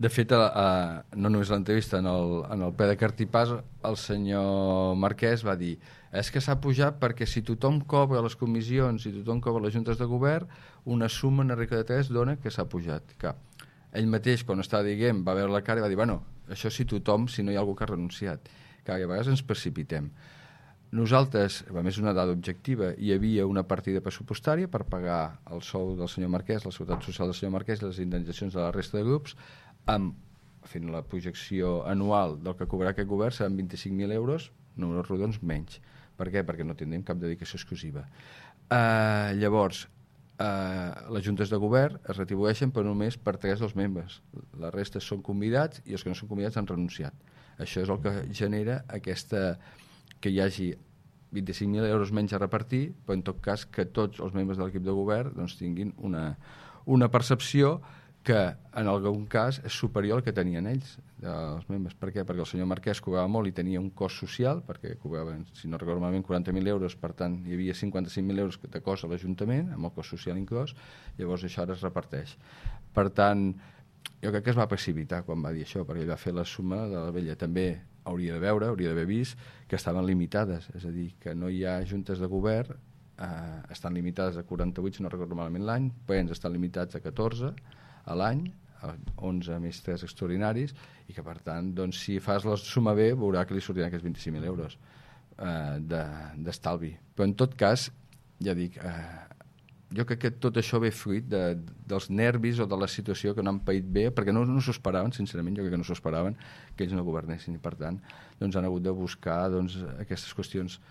De fet, no només a l'entrevista, en el ple de Cartipàs, el senyor Marquès va dir és que s'ha pujat perquè si tothom cobra les comissions i tothom cobra les juntes de govern, una suma en regla de 3 dona que s'ha pujat. Que ell mateix, quan estava dient, va veure la cara i va dir, bueno, això si tothom, si no hi ha algú que ha renunciat. Que a vegades ens precipitem. Nosaltres, a més una dada objectiva, hi havia una partida pressupostària per pagar el sou del senyor Marquès, la seguretat social del senyor Marquès i les indemnitzacions de la resta de grups, fent la projecció anual del que cobrarà aquest govern seran 25.000 euros, números rodons, menys. Per què? Perquè no tindrem cap dedicació exclusiva. Llavors, les juntes de govern es retribueixen per només per 3 dels membres. La resta són convidats i els que no són convidats han renunciat. Això és el que genera que hi hagi 25.000 euros menys a repartir, però en tot cas que tots els membres de l'equip de govern doncs, tinguin una percepció que en algun cas és superior al que tenien ells, els membres. Per què? Perquè el senyor Marquès cobrava molt i tenia un cost social, perquè cobrava, si no recordo malament, 40.000 euros, per tant hi havia 55.000 euros de cost a l'Ajuntament, amb el cost social inclòs, llavors això ara es reparteix. Per tant, jo crec que es va precipitar quan va dir això, perquè ell va fer la suma de la vella. També hauria d'haver vist que estaven limitades, és a dir, que no hi ha juntes de govern, estan limitades a 48, si no recordo malament l'any, plens estan limitats a 14 a l'any, 11 més 3 extraordinaris, i que per tant, doncs, si fas la suma bé, veurà que li sortiran aquests 25.000 euros d'estalvi. Però en tot cas, ja dic, jo crec que tot això ve fruit dels nervis o de la situació que no han paït bé, perquè no s'ho esperaven, sincerament, jo crec que no s'ho esperaven que ells no governessin, i per tant doncs, han hagut de buscar aquestes qüestions